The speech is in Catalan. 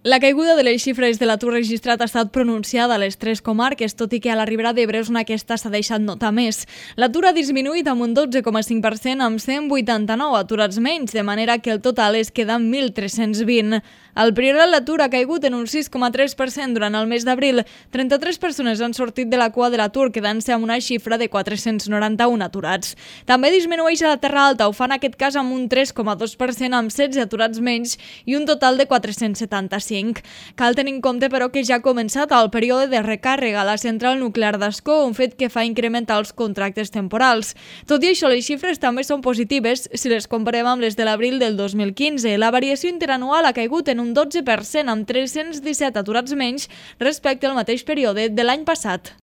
La caiguda de les xifres de l'atur registrat ha estat pronunciada a les tres comarques, tot i que a la Ribera d'Ebre és on aquesta s'ha deixat notar més. L'atur ha disminuït amb un 12,5% amb 189 aturats menys, de manera que el total es queda en 1.320. Al Priorat l'atur ha caigut en un 6,3% durant el mes d'abril. 33 persones han sortit de la cua de l'atur, quedant-se amb una xifra de 491 aturats. També disminueix a la Terra Alta, ho fa en aquest cas amb un 3,2% amb 16 aturats menys i un total de 475. Cal tenir en compte, però, que ja ha començat el període de recàrrega a la central nuclear d'Ascó, un fet que fa incrementar els contractes temporals. Tot i això, les xifres també són positives si les comparem amb les de l'abril del 2015. La variació interanual ha caigut en un 12% amb 317 aturats menys respecte al mateix període de l'any passat.